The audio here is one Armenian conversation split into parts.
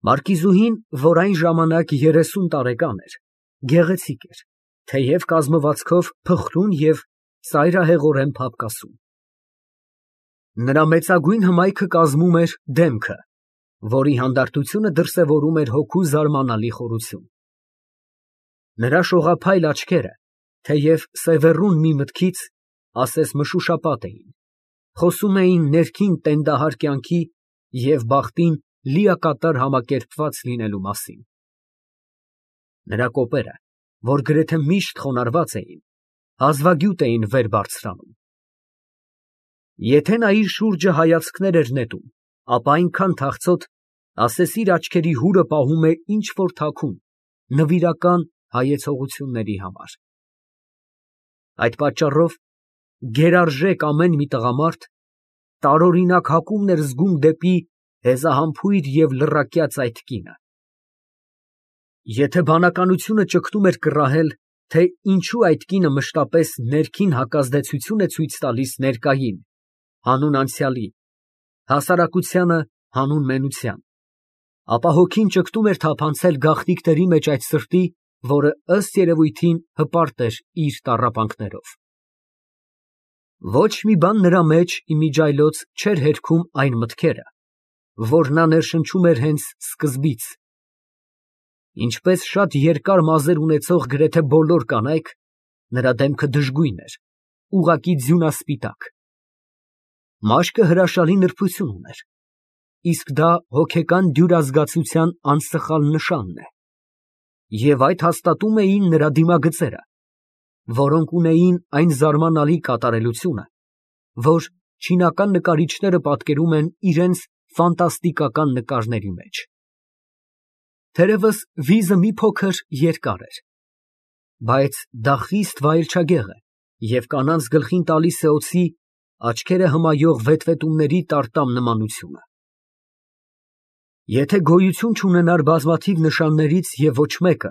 Մարկիզուհին, որ այն ժամանակ 30 տարեկան էր, գեղեցիկ էր, թեև կազմվածքով փխրուն և ծայրահեղորեն փափկասում։ Նրա մեծագույն հմայքը կազմում էր դեմքը, որի հանդարտությունը դրսևորում էր հոգու զարմանալի խորություն։ Նրա շողափայլ աչքերը, թեև սևեռուն մի մտքից, ասես մշուշապատ էին, խոսում էին ներքին տենդահար կյանքի և բախտին լիակատար համակերպված լինելու մասին։ Նրա կոպերը, որ գրեթե միշտ խոնարհված էին, հազվագյուտ էին վեր բարձրանում։ Եթե նա իր շուրջը հայացքներ էր նետում, ապա այնքան թախծոտ, ասես իր աչքերի հուրը պահում է ինչ֊որ թաքուն, նվիրական հայեցողությունների համար։ Այդ պատճառով գերարժեք ամեն մի տղամարդ տարօրինակ հակումն էր զգում դեպի հեզահամբույր և լռակյաց այդ կինը։ Եթե բանականությունը ճգտում էր կռահել, թե ինչու այդ կինը մշտապես ներքին հակազդեցություն է ցույց տալիս ներկային, հանուն անցյալի, հասարակությանը հանուն մենության, ապա հոգին ճգտում էր թափանցել գաղտնիքների մեջ այդ սրտի, որը ըստ երևույթին հպարտ էր իր տառապանքներով։ Ոչ մի բան նրա մեջ իմիջիայլոց չէր հերքում այն մտքերը, որ նա ներշնչում էր հենց սկզբից։ Ինչպես շատ երկար մազեր ունեցող գրեթե բոլոր կանայք, նրա դեմքը դժգույն էր, ուղղակի ձյունասպիտակ։ Մաշկը հրաշալի նրբություն ուներ, իսկ դա հոգեկան դյուրազգացության անսխալ նշանն է։ Եվ այդ հաստատում էին նրա դիմագծերը, որոնք ունեին այն զարմանալի կատարելությունը, որ չինական նկարիչները պատկերում են իրենց ֆանտաստիկական նկարների մեջ։ Թերևս վիզը մի փոքր երկար էր, բայց դա խիստ վայելչագեղ է և կանանց գլխին տալիս է օձի աչքերը հմայող վետվետումների տարտամ նմանությունը։ Եթե գոյություն չունենար բազմաթիվ նշաններից և ոչ մեկը,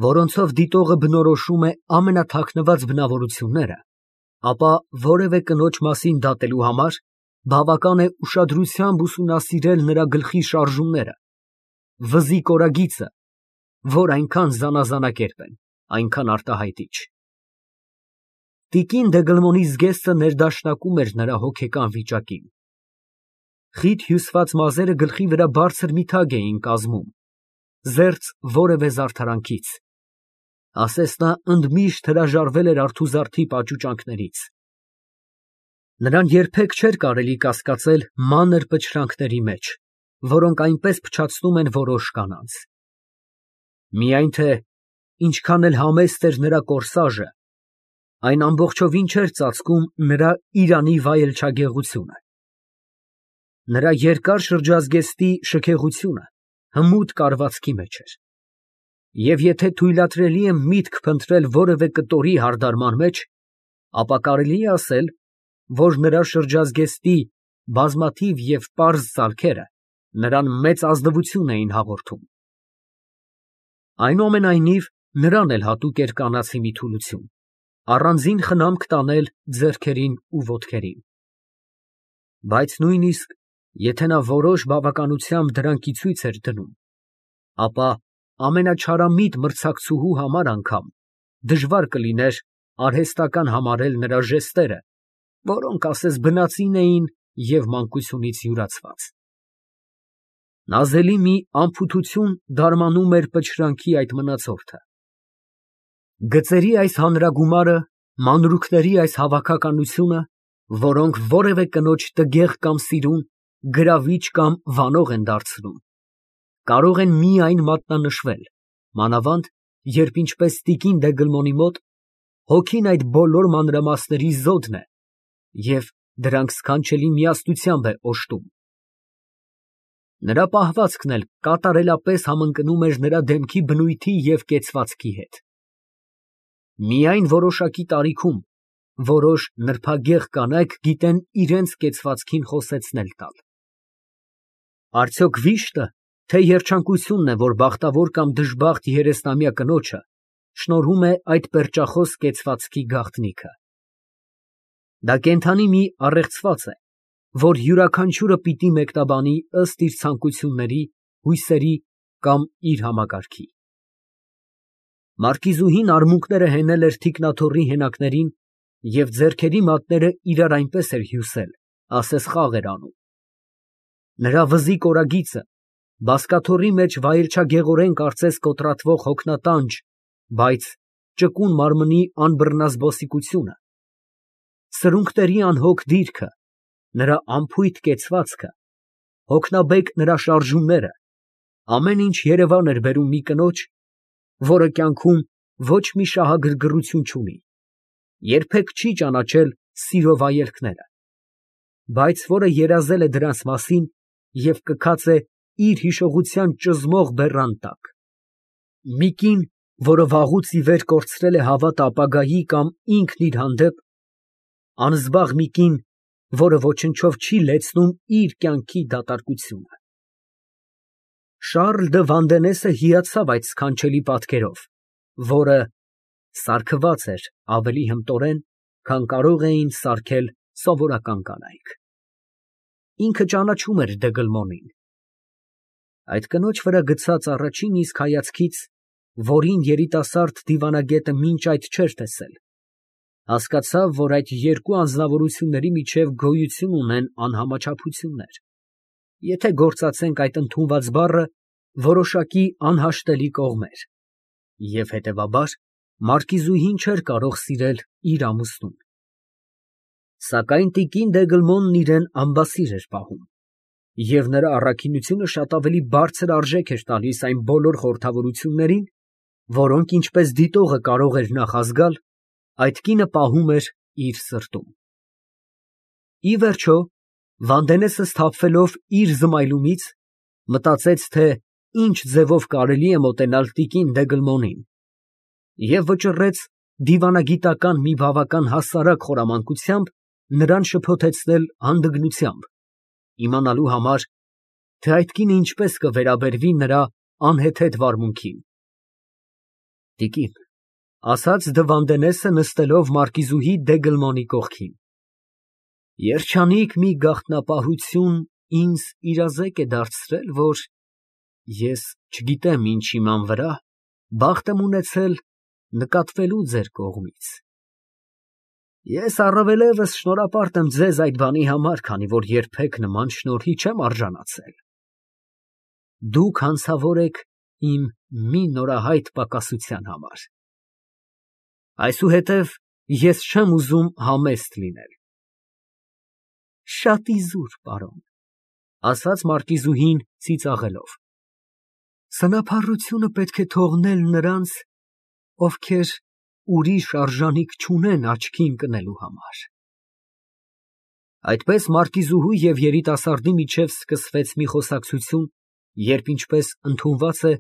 որոնցով դիտողը բնորոշում է ամենաթաքնված բնավորությունները, ապա որևէ կնոջ մասին դատելու համար բավական է ուշադրությամբ ուսումնասիրել նրա գլխի շարժումները, վզի կորագիծը, որ այնքան զանազանակերպ են, այնքան արտահայտիչ։ Տիկին Դեգլմոնի զգեստը ներդաշնակում էր նրա հոգեկան վիճակին։ Խիտ հյուսված մազերը գլխի վրա բարձր մի թագ էին կազմում, զերծ որևէ զարդարանքից, ասես նա ընդմիշտ հրաժարվել էր արթուզարդի պաճուճանքներից։ Նրան երբեք չէր կարելի կասկածել մանր պչրանքների մեջ, որոնք այնպես փչացնում են որոշ կանանց։ Միայն թե ինչքան էլ համեստ էր նրա կորսաժը, այն ամբողջովին չէր ծածկում նրա իրանի վայելչագեղությունը։ Նրա երկար շրջազգեստի շքեղությունը հմուտ կառվածքի մեջ էր, և եթե թույլատրելի է միտք փնտրել որևէ կտորի հարդարման մեջ, ապա կարելի է ասել, որ նրա շրջազգեստի բազմաթիվ և պարզ ծալքերը նրան մեծ ազնվություն էին հաղորդում։ Այնուամենայնիվ, նրան էլ հատուկ էր կանացի մի թուլություն, առանձին խնամք տանել ձեռքերին ու ոտքերին։ Բայց նույնիսկ եթե նա որոշ բավականությամբ դրանք ի ցույց էր դնում, ապա ամենաչարամիտ մրցակցուհու համար անգամ դժվար կլիներ արհեստական համարել նրա ժեստերը, որոնք ասես բնածին էին և մանկությունից յուրացված։ Նազելի մի անփութություն դարմանում էր պչրանքի այդ մնացորդը։ Գծերի այս հանրագումարը, մանրուքների այս հավաքականությունը, որոնք որևէ կնոջ տգեղ կամ սիրուն, գրավիչ կամ վանող են դարձնում, կարող են միայն մատնանշվել, մանավանդ, երբ ինչպես տիկին Դեգլմոնի մոտ հոգին այդ բոլոր մանրամասների զոդն է և դրանք սքանչելի միասնությամբ է օժտում։ Նրա պահվածքն էլ կատարելապես համընկնում էր նրա դեմքի բնույթի և կեցվածքի հետ։ Միայն որոշակի տարիքում որոշ նրբագեղ կանայք գիտեն իրենց կեցվածքին խոսեցնել տալ։ Արդյոք վիշտը, թե երջանկությունն է, որ բախտավոր կամ դժբախտ երեսնամյա կնոջը շնորհում է այդ պերճախոս կեցվածքի գաղտնիքը։ Դա կենդանի մի առեղծված է, որ յուրաքանչյուրը պիտի մեկնաբանի ըստ իր ցանկությունների հույսերի կամ իր համակարգի։ Մարկիզուհին արմունկները հենել էր թիկնաթոռի հենակներին և ձեռքերի մատները իրար այնպես էր հյուսել, ասես խաղ էր անում։ Նրա վզի կորագիծը բազկաթոռի մեջ վայելչագեղորեն կարծես կոտրատվող հոգնատանջ, բայց ճկուն մարմնի անբռնազբոսիկությունը, սրունքների անհոգ դիրքը, նրա անփույթ կեցվածքը, հոգնաբեկ նրա շարժումները, ամեն ինչ երևան էր բերում մի կնոջ, որը կյանքում ոչ մի շահագրգռություն չունի, երբեք չի ճանաչել սիրո վայելքները, բայց որը երազել է դրանց մասին և կքած է իր հիշողության ճզմող բեռան տակ, մի կին, որը վաղուց ի վեր կորցրել է հավատը ապագայի կամ ինքն իր հանդեպ, անզբաղ մի կին, որը ոչնչով չի լեցնում իր կյանքի դատարկությունը։ Շառլ դը Վանդենեսը հիացավ այդ սքանչելի պատկերով, որը սարքված էր ավելի հմտորեն, քան կարող էին սարքել սովորական կանայք։ Ինքը ճանաչում էր Դեգլմոնին։ Այդ կնոջ վրա գցած առաջին իսկ հայացքից, որին երիտասարդ դիվանագետը մինչ այդ չէր տեսել, հասկացավ, որ այդ երկու անձնավորությունների միջև գոյություն ունեն անհամաչափություններ, եթե գործածենք այդ ընդունված բառը որոշակի անհաշտելի կողմեր, և հետևաբար մարկիզուհին չէր կարող սիրել իր ամուսնուն։ Սակայն տիկին Դեգլմոնն իրան ամբասիր էր պահում, և նրա առաքինությունը շատ ավելի բարձր արժեք էր տալիս այն բոլոր խորհրդավորություններին, որոնք, ինչպես դիտողը կարող էր նախազգալ, այդ կինը պահում էր իր սրտում։ Ի վերջո, Վանդենեսը սթափվելով իր զմայլումից, մտածեց, թե ինչ ձևով կարելի է մոտենալ տիկին Դեգլմոնին և վճռեց դիվանագիտական մի բավական հասարակ խորամանկությամբ նրան շփոթեցնել հանդգնությամբ, իմանալու համար, թե այդ կինը ինչպես կվերաբերվի նրա անհեթեթ վարմունքին։ ֊ Տիկին, ֊ ասաց Դը Վանդենեսը նստելով մարկիզուհի Դեգլմոնի կողքին, ֊ երջանիկ մի գաղտնապահություն ինձ իրազեկ է դարձրել, որ ես չգիտեմ ինչ հիման վրա բախտ եմ ունեցել նկատվելու ձեր կողմից։ Ես առավելևս շնորհապարտ եմ ձեզ այդ բանի համար, քանի որ երբեք նման շնորհի չեմ արժանացել։ Դուք հանցավոր եք իմ մի նորահայտ պակասության համար։ Այսուհետև ես չեմ ուզում համեստ լինել։ Շատ իզուր, պարոն, ֊ ասաց մարկիզուհին ծիծաղելով։ Սնափառությունը պետք է թողնել նրանց, ովքեր ուրիշ արժանիք չունեն աչքի ընկնելու համար։ Այդպես մարկիզուհու և երիտասարդի միջև սկսվեց մի խոսակցություն, երբ, ինչպես ընդունված է,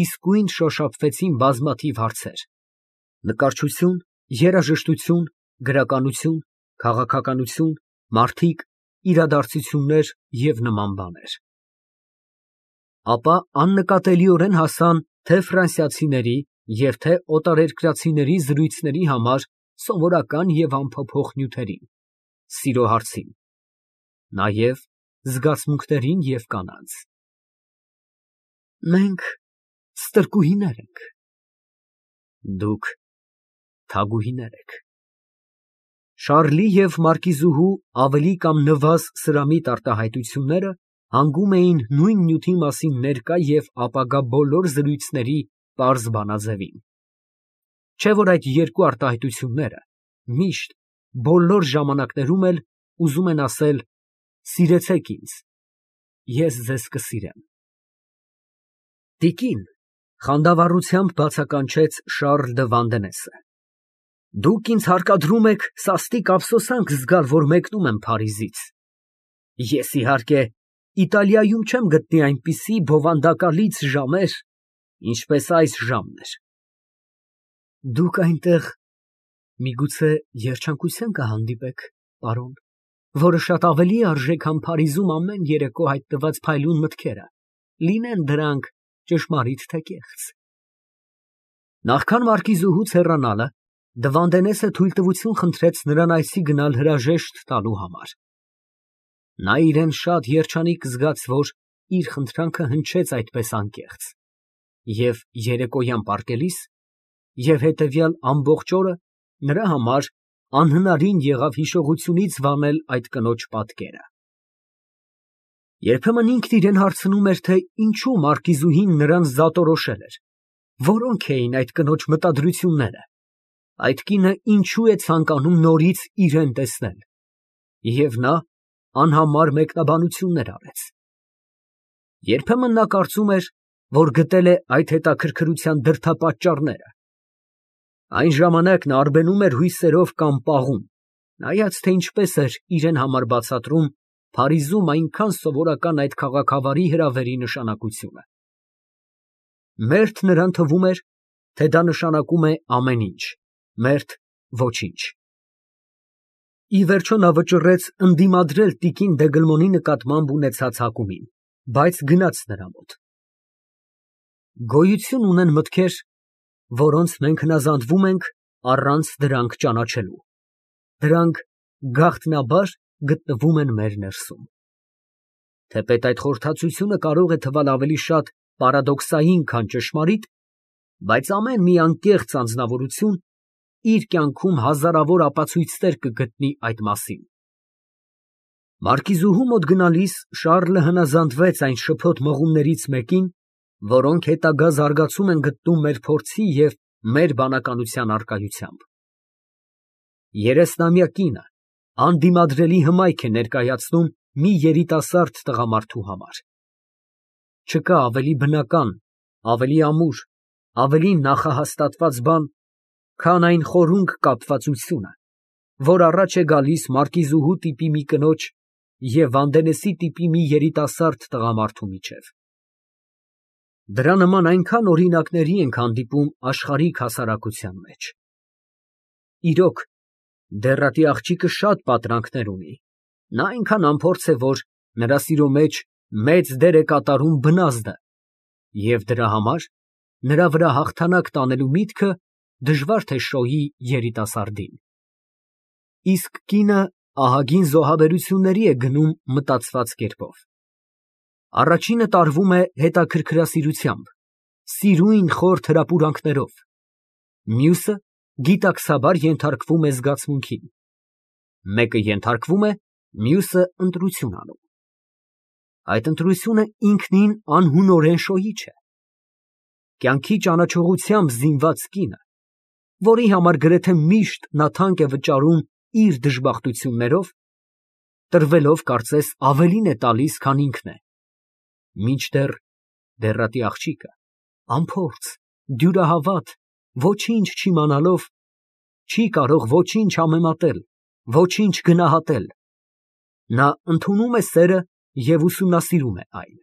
իսկույն շոշափվեցին բազմաթիվ հարցեր. նկարչություն, երաժշտություն, գրականություն, քաղաքականություն, մարդիկ, իրադարձություններ և նման բաներ։ Ապա աննկատելիորեն հասան թե ֆրանսիացիների և թե օտարերկրացիների զրույցների համար սովորական և անփոփոխ նյութերին, սիրո հարցին, նաև զգացմունքներին և կանանց։ Մենք ստրկուհիներ ենք, դուք թագուհիներ եք։ Շառլի և մարկիզուհու ավելի կամ նվազ սրամիտ արտահայտությունները հանգում էին նույն նյութի մասին ներկա և ապագա բոլոր զրույցների պարզ բանաձևին։ Չէ՞ որ այդ երկու արտահայտությունները միշտ, բոլոր ժամանակներում էլ ուզում են ասել. «Սիրեցեք ինձ, ես ձեզ կսիրեմ»։ Տիկին, ֊ խանդավառությամբ բացականչեց Շառլ դը Վանդենեսը, ֊ դուք ինձ հարկադրում եք սաստիկ ափսոսանք զգալ, որ մեկնում եմ Փարիզից։ Ես, իհարկե, Իտալիայում չեմ գտնի այնպիսի բովանդակալից ժամեր, ինչպես այս ժամն էր։ Դուք այնտեղ միգուցե երջանկության կհանդիպեք, պարոն, որը շատ ավելի արժե, քան Փարիզում ամեն երեկո հայտնված փայլուն մտքերը, լինեն դրանք ճշմարիտ թե կեղծ։ Նախքան մարկիզուհուց հեռանալը, Դը Վանդենեսը թույլտվություն խնդրեց նրան այստեղ գնալ հրաժեշտ տալու համար։ Նա իրան շատ երջանիկ զգաց, որ իր խնդրանքը հնչեց այդպես անկեղծ, և երեկոյան պառկելիս, և հետևյալ ամբողջ օրը նրա համար անհնարին եղավ հիշողությունից վանել այդ կնոջ պատկերը։ Երբեմն ինքն իրան հարցնում էր, թե ինչու մարկիզուհին նրան զատորոշել էր, որոնք էին այդ կնոջ մտադրությունները, այդ կինը ինչու է ցանկանում նորից իրան տեսնել, և նա անհամար մեկնաբանություններ արեց։ Երբեմն նա կարծում էր, որ գտել է այդ հետաքրքրության դրդապատճառները։ Այն ժամանակ նա արբենում էր հույսերով կամ պաղում, նայած թե ինչպես էր իրան համար բացատրում Փարիզում այնքան սովորական այդ քաղաքավարի հրավերի նշանակությունը։ Մերթ նրան թվում էր, թե դա նշանակում է ամեն ինչ, մերթ ոչինչ։ Ի վերջո նա վճռեց ընդդիմադրել տիկին Դեգլմոնի նկատմամբ ունեցած հակումին, բայց գնաց նրա մոտ։ Գոյություն ունեն մտքեր, որոնց մենք հնազանդվում ենք առանց դրանք ճանաչելու։ Դրանք գաղտնաբար գտնվում են մեր ներսում։ Թեպետ այդ խորհրդածությունը կարող է թվալ ավելի շատ պարադոքսային, քան ճշմարիտ, բայց ամեն մի անկեղծ անձնավորություն իր կյանքում հազարավոր ապացույցներ կգտնի այդ մասին։ Մարկիզուհու մոտ գնալիս Շառլը հնազանդվեց այն շփոթ մղումներից մեկին, որոնք հետագա զարգացում են գտնում մեր փորձի և մեր բանականության առկայությամբ։ 30-ամյա կինը անդիմադրելի հմայք է ներկայացնում մի երիտասարդ տղամարդու համար։ Չկա ավելի բնական, ավելի ամուր, ավելի նախահաստատված բան, քան այն խորունկ կապվածությունը, որ առաջ է գալիս մարկիզուհու տիպի մի կնոջ և Վանդենեսի տիպի մի երիտասարդ տղամարդու միջև։ Դրա նման այնքան օրինակների ենք հանդիպում աշխարհիկ հասարակության մեջ։ Իրոք, դեռատի աղջիկը շատ պատրանքներ ունի, նա այնքան անփորձ է, որ նրա սիրո մեջ մեծ դեր է կատարում բնազդը, և դրա համար նրա վրա հաղթանակ տանելու միտքը դժվար թե շոյի երիտասարդին։ Իսկ կինը ահագին զոհաբերությունների է գնում մտածված կերպով։ Առաջինը տարվում է հետաքրքրասիրությամբ, սիրուն խորթ հրապուրանքներով, մյուսը գիտակցաբար ենթարկվում է զգացմունքին, մեկը ենթարկվում է, մյուսը ընտրություն անում։ Այդ ընտրությունը ինքնին անհունորեն շոյիչ է։ Կյանքի ճանաչողությամբ զինված կինը, որի համար գրեթե միշտ նա թանկ է վճարում իր դժբախտություններով, տրվելով կարծես ավելին է տալիս, քան ինքն է, մինչդեռ դեռատի աղջիկը անփորձ, դյուրահավատ, ոչինչ չիմանալով, չի կարող ոչինչ համեմատել, ոչինչ գնահատել։ Նա ընդունում է սերը և ուսումնասիրում է այն։